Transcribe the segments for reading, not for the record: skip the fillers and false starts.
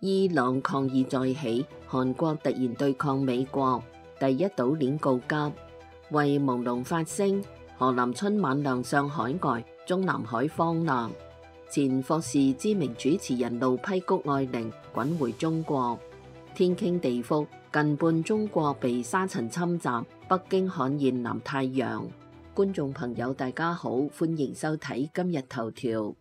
伊朗抗議再起，韓國突然對抗美國，第一島鏈告急，為朦朧發聲。何林春晚亮相海外，中南海荒難。前霍士知名主持人路批谷愛玲滾回中國。天傾地覆，近半中國被沙塵侵襲，北京罕現南太陽。觀眾朋友大家好，歡迎收睇今日頭條。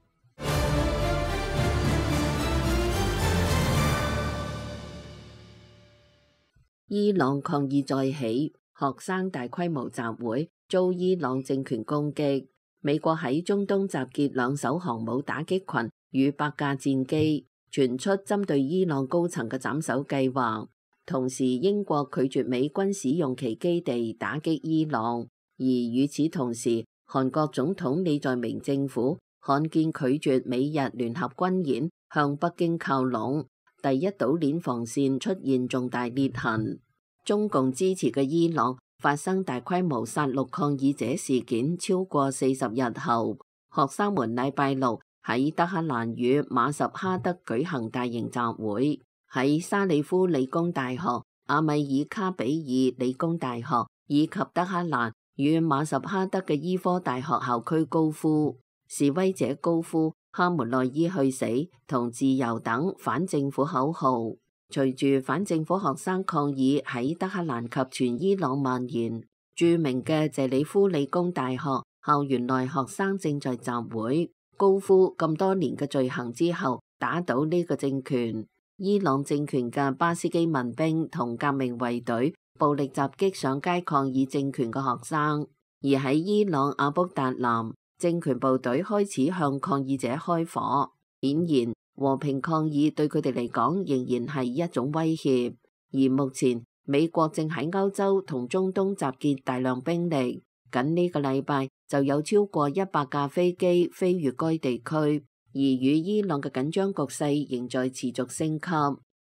伊朗抗議再起，學生大規模集會遭伊朗政權攻擊。美國喺中東集結2艘航母打擊群與8架戰機，傳出針對伊朗高層嘅斬首計劃。同時，英國拒絕美軍使用其基地打擊伊朗。而與此同時，韓國總統李在明政府罕見拒絕美日聯合軍演，向北京靠攏。第一島鏈防線出現重大裂痕，中共支持嘅伊朗發生大規模殺戮抗議者事件超過40日後，學生們禮拜六喺德黑蘭與馬什哈德舉行大型集會，喺沙里夫理工大學、阿米爾卡比爾理工大學以及德黑蘭與馬什哈德嘅醫科大學校區高呼，示威者高呼哈梅內伊去死同自由等反政府口號。隨住反政府學生抗議喺德黑蘭及全伊朗蔓延，著名嘅謝里夫理工大學校園內學生正在集會，高呼咁多年嘅罪行之後打倒呢個政權。伊朗政權嘅巴斯基民兵同革命衛隊暴力襲擊上街抗議政權嘅學生，而喺伊朗阿卜達南，政權部隊開始向抗議者開火。顯然，和平抗議對佢哋嚟講仍然係一種威脅。而目前，美國正喺歐洲同中東集結大量兵力，僅呢個禮拜就有超過100架飛機飛越該地區。而與伊朗嘅緊張局勢仍在持續升級。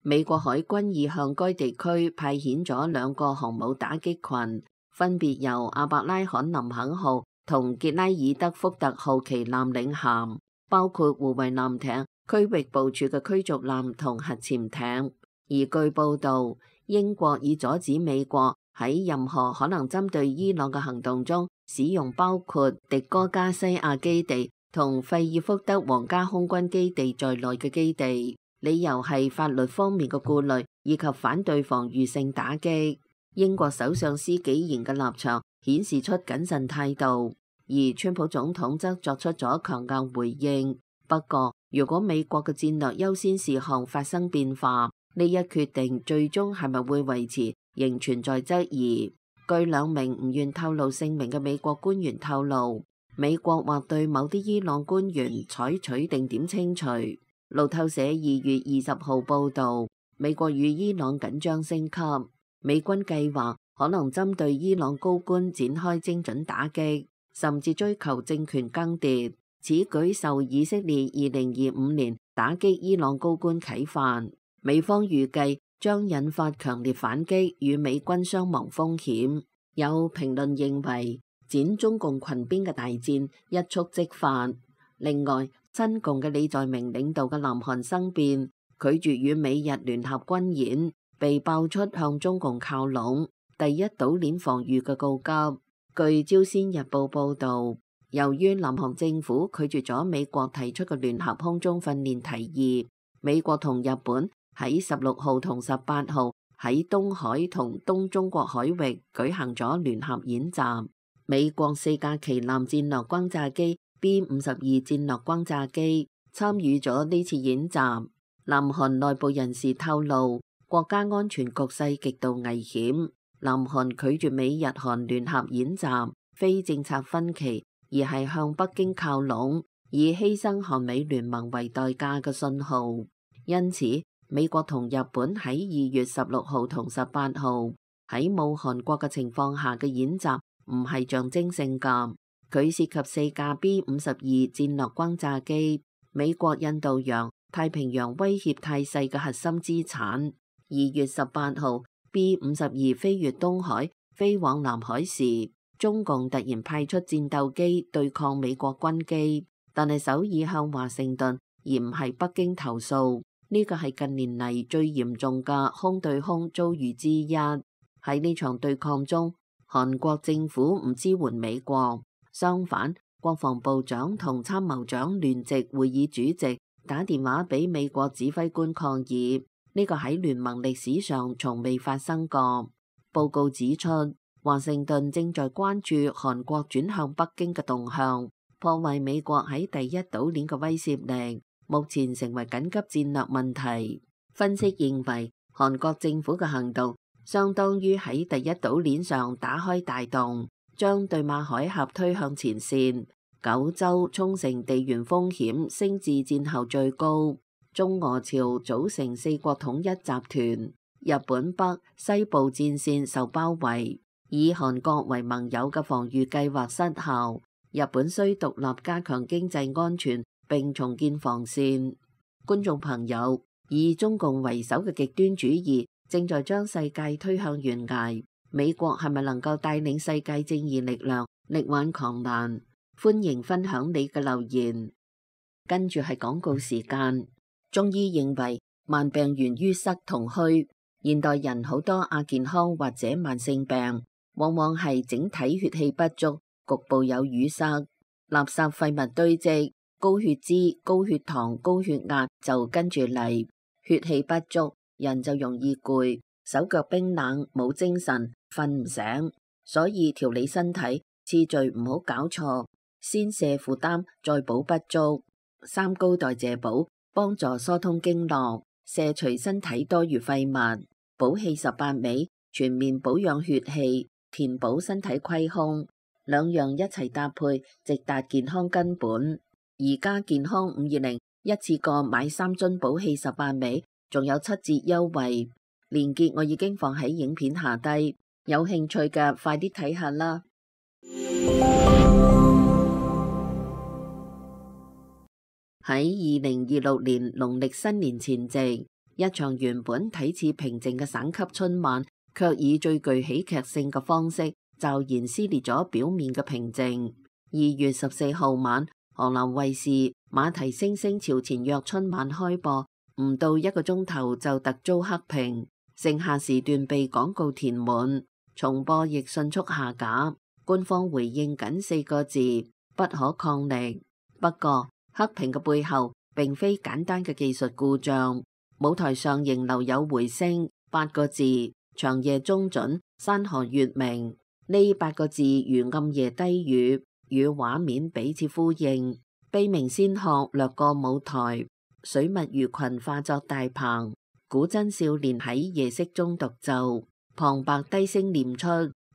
美國海軍已向該地區派遣咗2個航母打擊群，分別由阿伯拉罕林肯號同傑拉爾德福特號旗艦領銜，包括護衛艦艇、區域部署嘅驅逐艦同核潛艇。而據報導，英國已阻止美國喺任何可能針對伊朗嘅行動中使用包括迪戈加西亞基地同費爾福德皇家空軍基地在內嘅基地，理由係法律方面嘅顧慮以及反對防禦性打擊。英國首相施紀賢嘅立場顯示出謹慎態度，而川普總統則作出咗強硬回應。不過，如果美國嘅戰略優先事項發生變化，呢一決定最終係咪會維持，仍存在質疑。據2名唔願透露姓名嘅美國官員透露，美國或對某啲伊朗官員採取定點清除。路透社2月20號報導，美國與伊朗緊張升級，美軍計劃可能針對伊朗高官展開精準打擊，甚至追求政權更迭。此舉受以色列2025年打擊伊朗高官啟發，美方預計將引發強烈反擊與美軍傷亡風險。有評論認為，剪中共裙邊嘅大戰一觸即發。另外，親共嘅李在明領導嘅南韓生變，拒絕與美日聯合軍演，被爆出向中共靠攏，第一島鏈防禦嘅告急。據朝鮮日報報導，由於南韓政府拒絕咗美國提出嘅聯合空中訓練提議，美國同日本喺16號同18號喺東海同東中國海域舉行咗聯合演習。美國4架旗艦戰略轟炸機 B-52 戰略轟炸機參與咗呢次演習。南韓內部人士透露，國家安全局勢極度危險。南韓拒絕美日韓聯合演習，非政策分歧，而係向北京靠攏，以犧牲韓美聯盟為代價嘅信號。因此，美國同日本喺2月16號同18號喺冇韓國嘅情況下嘅演習，唔係象徵性㗎。佢涉及4架 B-52 戰略轟炸機，美國印度洋、太平洋威脅態勢嘅核心資產。2月18號 B-52 飛越東海，飛往南海時，中共突然派出戰鬥機對抗美國軍機，但係首爾向華盛頓而唔係北京投訴。呢個係近年嚟最嚴重嘅空對空遭遇之一。喺呢場對抗中，韓國政府唔支援美國，相反，國防部長同參謀長聯席會議主席打電話俾美國指揮官抗議，呢個喺聯盟歷史上從未發生過。報告指出，華盛頓正在關注韓國轉向北京嘅動向，破壞美國喺第一島鏈嘅威懾力，目前成為緊急戰略問題。分析認為，韓國政府嘅行動相當於喺第一島鏈上打開大洞，將對馬海峽推向前線。九州、沖繩地緣風險升至戰後最高。中俄朝組成四國統一集團，日本北、西部戰線受包圍，以韓國為盟友嘅防禦計劃失效。日本需獨立加強經濟安全並重建防線。觀眾朋友，以中共為首嘅極端主義正在將世界推向懸崖，美國係咪能夠帶領世界正義力量力挽狂瀾？歡迎分享你嘅留言。跟住係廣告時間。中醫認為慢病源於塞同虛，現代人好多亞健康或者慢性病，往往係整體血氣不足，局部有淤塞，垃圾廢物堆積，高血脂、高血糖、高血壓就跟住嚟。血氣不足，人就容易攰，手腳冰冷，冇精神，瞓唔醒。所以調理身體次序唔好搞錯，先瀉負擔，再補不足。三高代謝補幫助疏通經絡，卸除身體多餘廢物。補氣18味全面保養血氣，填補身體虧空，兩樣一齊搭配，直達健康根本。而家健康520一次過買3樽補氣18味，仲有7折優惠，鏈接我已經放喺影片下低，有興趣嘅快啲睇下啦。喺2026年農曆新年前夕，一場原本睇似平靜嘅省級春晚，卻以最具喜劇性嘅方式驟然撕裂咗表面嘅平靜。2月14號晚，河南衛視馬蹄聲聲朝前約春晚開播，唔到1個鐘頭就突遭黑屏，剩下時段被廣告填滿，重播亦迅速下架。官方回應僅4個字：不可抗力。不過，黑屏嘅背後並非簡單嘅技術故障，舞台上仍留有回聲8個字：長夜中準，山河月明。呢8個字如暗夜低語，與畫面彼此呼應。悲鳴仙鶴掠過舞台，水墨魚群化作大棚，古箏少年喺夜色中獨奏，旁白低聲念出，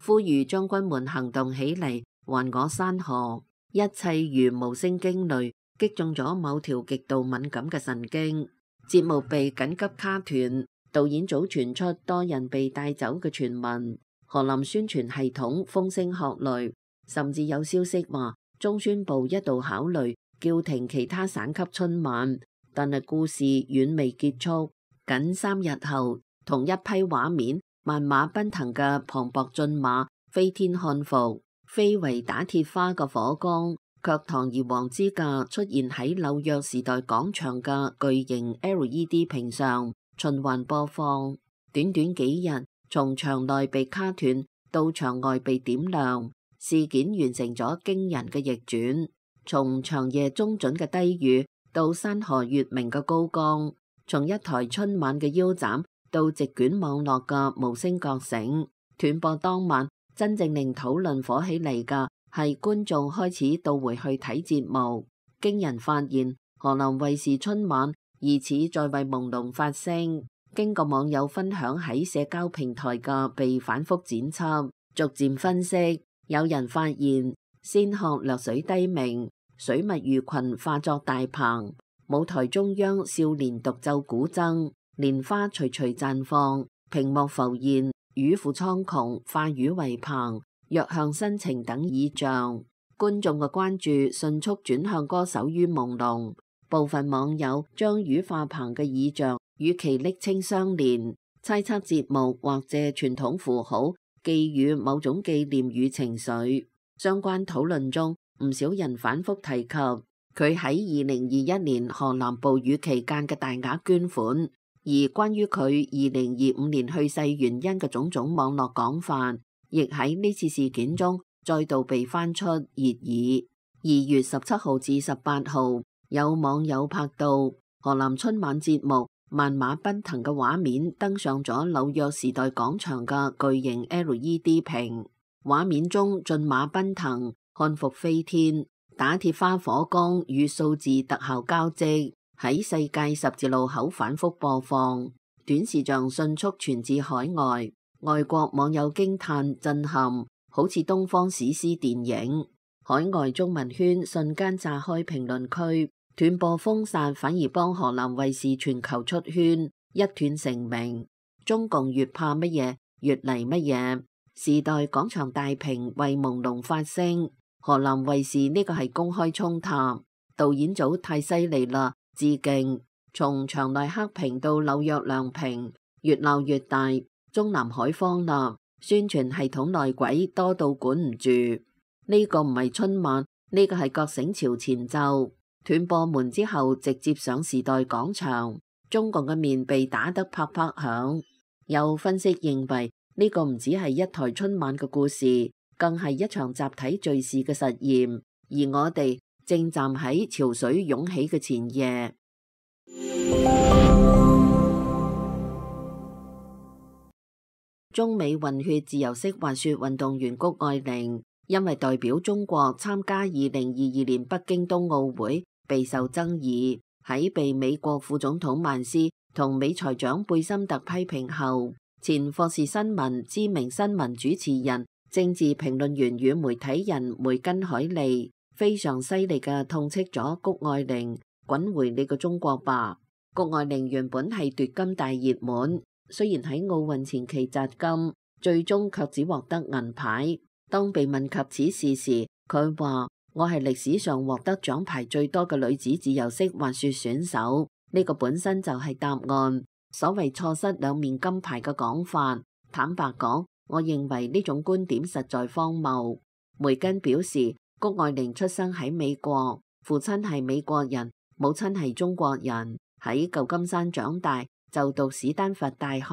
呼籲將軍們行動起嚟，還我山河。一切如無聲驚雷，擊中咗某條極度敏感嘅神經。節目被緊急卡斷，導演組傳出多人被帶走嘅傳聞。河南宣傳系統風聲鶴唳，甚至有消息話中宣部一度考慮叫停其他省級春晚，但係故事遠未結束。僅3日後，同一批畫面，萬馬奔騰嘅磅礴駿馬飛天漢服，非為打鐵花嘅火光，卻堂而皇之嘅出現喺紐約時代廣場嘅巨型 LED 屏上，循環播放。短短幾日，從場內被卡斷到場外被點亮，事件完成咗驚人嘅逆轉。從長夜中準嘅低語到山河月明嘅高光，從一台春晚嘅腰斬到席捲網絡嘅無聲覺醒。斷播當晚，真正令討論火起嚟嘅係觀眾開始倒回去睇節目。驚人發現，河南衛視春晚疑似在為朦朧發聲。經過網友分享喺社交平台嘅被反覆剪輯，逐漸分析，有人發現仙鶴掠水低鳴，水墨魚群化作大棚，舞台中央少年獨奏古箏，蓮花徐徐綻放，屏幕浮現魚父蒼穹，化魚為棚，弱向新情等意象。觀眾嘅關注迅速轉向歌手於朦朧，部分網友將魚化棚嘅意象與其昵稱相連，猜測節目或借傳統符號寄予某種紀念與情緒。相關討論中，唔少人反覆提及佢喺2021年河南暴雨期間嘅大額捐款，而關於佢2025年去世原因嘅種種網絡講法，亦喺呢次事件中再度被翻出熱議。2月17號至18號，有網友拍到河南春晚節目萬馬奔騰嘅畫面登上咗紐約時代廣場嘅巨型 LED 屏，畫面中駿馬奔騰、漢服飛天、打鐵花火光與數字特效交織，喺世界十字路口反覆播放，短視像迅速傳至海外，外國網友驚嘆震撼，好似東方史詩電影。海外中文圈瞬間炸開評論區，斷播封殺反而幫河南衛視全球出圈，一斷成名。中共越怕乜嘢越嚟乜嘢。時代廣場大屏為朦朧發聲，河南衛視呢個係公開衝塔，導演組太犀利啦，致敬。從場內黑屏到紐約亮屏，越鬧越大，中南海荒啦，宣傳系統內鬼多到管唔住。呢個唔係春晚，呢個係覺醒潮前奏。斷播門之後直接上時代廣場，中共嘅面被打得啪啪響。有分析認為呢個唔只係一台春晚嘅故事，更係一場集體敘事嘅實驗，而我哋正站喺潮水湧起嘅前夜。中美混血自由式滑雪運動員谷愛凌因為代表中國參加2022年北京冬奧會備受爭議，喺被美國副總統曼斯同美財長貝森特批評後，前霍士新聞知名新聞主持人、政治評論員與媒體人梅根海利非常犀利嘅痛斥咗谷愛凌，滾回你個中國吧。谷愛凌原本係奪金大熱門，雖然喺奧運前期摘金，最終卻只獲得銀牌。當被問及此事時，佢話：我係歷史上獲得獎牌最多嘅女子自由式滑雪選手，呢個本身就係答案。所謂錯失兩面金牌嘅講法，坦白講，我認為呢種觀點實在荒謬。梅根表示，谷愛凌出生喺美國，父親係美國人，母親係中國人，喺舊金山長大，就讀史丹佛大學，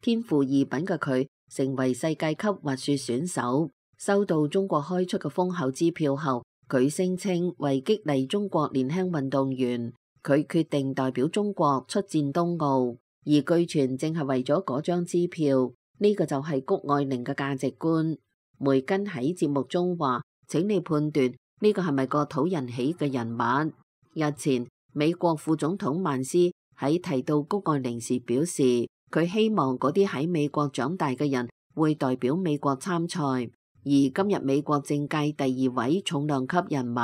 天賦異稟嘅佢成為世界級滑雪選手。收到中國開出嘅豐厚支票後，佢聲稱為激勵中國年輕運動員，佢決定代表中國出戰冬奧，而據傳正係為咗嗰張支票。呢個就係谷愛凌嘅價值觀。梅根喺節目中話：請你判斷呢個係咪個討人喜嘅人物。日前，美國副總統曼斯喺提到谷愛凌時表示，佢希望嗰啲喺美國長大嘅人會代表美國參賽。而今日美國政界第2位重量級人物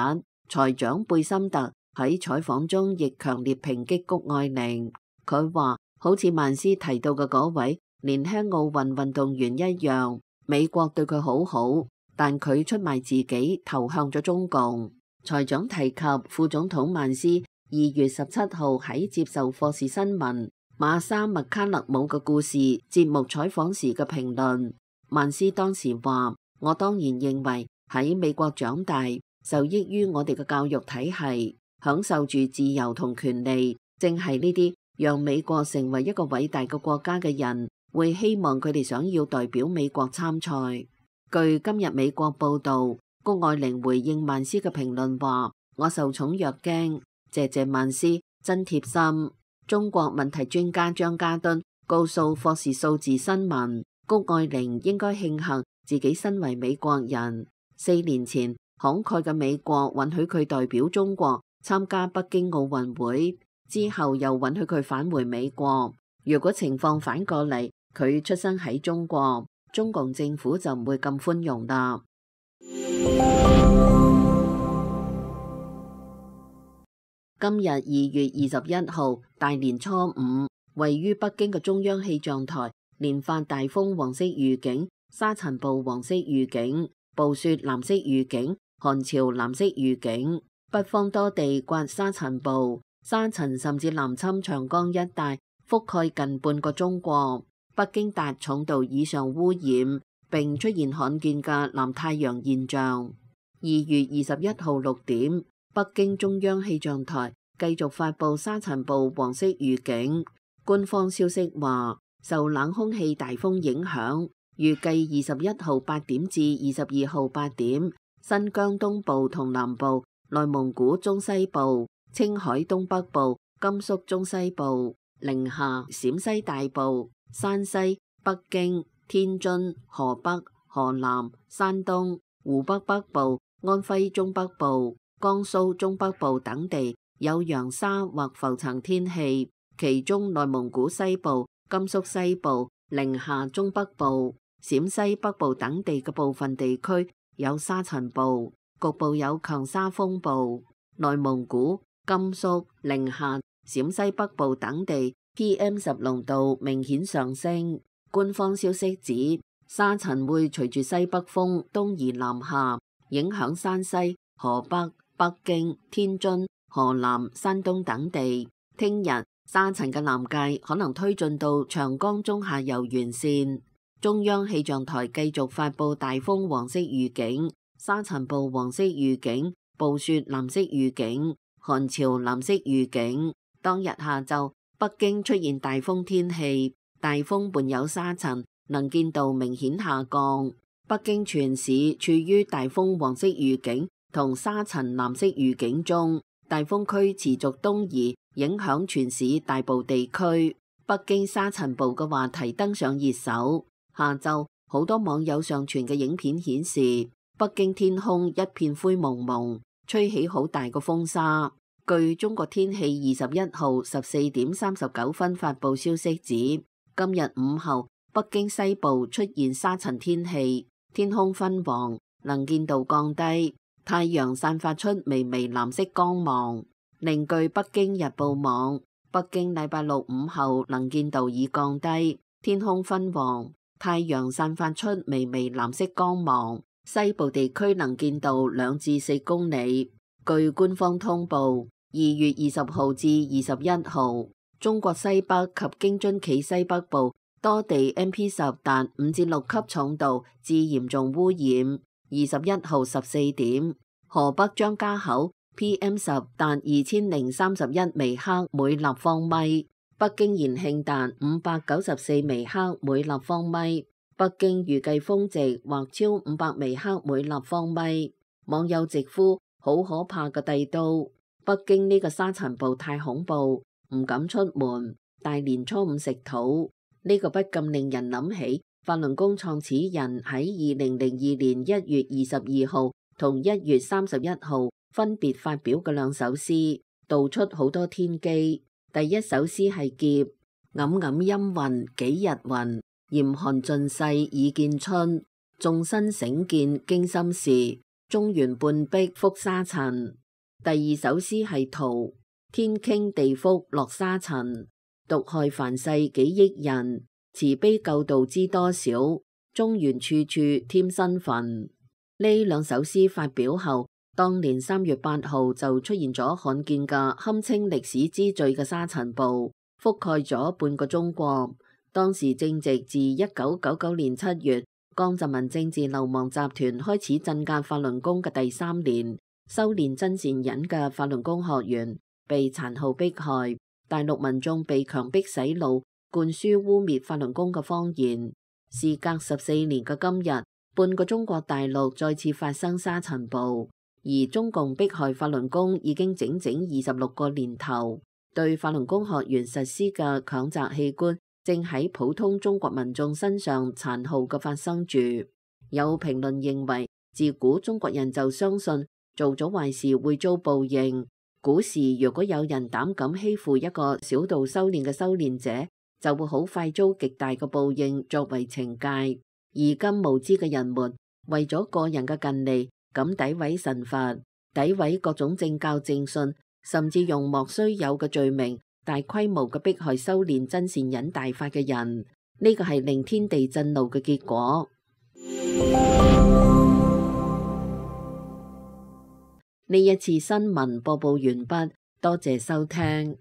財長貝森特喺採訪中亦強烈抨擊谷愛凌。佢話：好似曼斯提到嘅嗰位年輕奧運運動員一樣，美國對佢好好，但佢出賣自己投向咗中共。財長提及副總統曼斯2月17號喺接受霍士新聞馬莎麥卡勒姆嘅故事節目採訪時嘅評論，曼斯當時話：我當然認為喺美國長大，受益於我哋嘅教育體系，享受住自由同權利，正係呢啲讓美國成為一個偉大嘅國家嘅人，會希望佢哋想要代表美國參賽。據今日美國報導，谷愛凌回應曼斯嘅評論話：我受寵若驚，謝謝曼斯，真貼心。中國問題專家張家敦告訴霍士數字新聞，谷愛凌應該慶幸自己身為美國人，4年前慷慨嘅美國允許佢代表中國參加北京奧運會，之後又允許佢返回美國。如果情況反過嚟，佢出生喺中國，中共政府就唔會咁寬容啦。今日2月21號，大年初5，位於北京嘅中央氣象台連發大風黃色預警、沙塵暴黃色預警、暴雪藍色預警、寒潮藍色預警。北方多地刮沙塵暴，沙塵甚至南侵長江一帶，覆蓋近半個中國。北京達重度以上污染，並出現罕見嘅藍太陽現象。2月21號6點，北京中央氣象台繼續發布沙塵暴黃色預警。官方消息話，受冷空氣大風影響，預計21號8點至22號8點，新疆東部同南部、內蒙古中西部、青海東北部、甘肅中西部、寧夏、陝西大部、山西、北京、天津、河北、河南、山東、湖北北部、安徽中北部、江蘇中北部等地有揚沙或浮塵天氣，其中內蒙古西部、甘肅西部、寧夏中北部、陝西北部等地嘅部分地區有沙塵暴，局部有強沙風暴。內蒙古、甘肅、寧夏、陝西北部等地 PM10濃度明顯上升。官方消息指，沙塵會隨住西北風東移南下，影響山西、河北、北京、天津、河南、山東等地。聽日沙塵嘅南界可能推進到長江中下游沿線。中央氣象台繼續發布大風黃色預警、沙塵暴黃色預警、暴雪藍色預警、寒潮藍色預警。當日下晝，北京出現大風天氣，大風伴有沙塵，能見度明顯下降。北京全市處於大風黃色預警同沙塵藍色預警中，大風區持續東移，影響全市大部地區。北京沙塵暴嘅話題登上熱搜。下晝好多網友上傳嘅影片顯示，北京天空一片灰蒙蒙，吹起好大個風沙。據中國天氣21號14點39分發布消息指，今日午後北京西部出現沙塵天氣，天空昏黃，能見度降低，太陽散發出微微藍色光芒。另據北京日報網，北京禮拜六午後能見度已降低，天空昏黃，太陽散發出微微藍色光芒，西部地區能見度2至4公里。據官方通報，2月20號至21號，中國西北及京津冀西北部多地 MP10 達5至6級重度至嚴重污染。21號14點，河北張家口 PM10 達2031微克每立方米。北京延慶達594微克每立方米，北京預計峰值或超500微克每立方米。網友直呼好可怕嘅帝都，北京呢個沙塵暴太恐怖，唔敢出門。大年初五食土，呢個不禁令人諗起法輪功創始人喺2002年1月22號同1月31號分別發表嘅兩首詩，道出好多天機。第一首詩係劫，黯黯陰雲幾日雲，嚴寒盡世已見春。眾生醒見驚心事，中原半壁覆沙塵。第二首詩係圖，天傾地覆落沙塵，毒害凡世幾億人，慈悲救度知多少，中原處處添新墳。呢兩首詩發表後，當年3月8號就出現咗罕見嘅堪稱歷史之最嘅沙塵暴，覆蓋咗半個中國。當時正值自1999年7月江澤民政治流亡集團開始鎮壓法輪功嘅第3年，修煉真善忍嘅法輪功學員被殘酷迫害，大陸民眾被強迫洗腦，灌輸污衊法輪功嘅謊言。事隔14年嘅今日，半個中國大陸再次發生沙塵暴。而中共迫害法輪功已經整整26個年頭，對法輪功學員實施嘅強摘器官正喺普通中國民眾身上殘酷嘅發生住。有評論認為，自古中國人就相信做咗壞事會遭報應。古時如果有人膽敢欺負一個小道修煉嘅修煉者，就會好快遭極大嘅報應作為懲戒。而今無知嘅人們為咗個人嘅近利，咁詆毀神佛，詆毀各種正教正信，甚至用莫須有嘅罪名大規模嘅迫害修煉真善忍大法嘅人，呢個係令天地震怒嘅結果。呢一次新聞播報完畢，多謝收聽。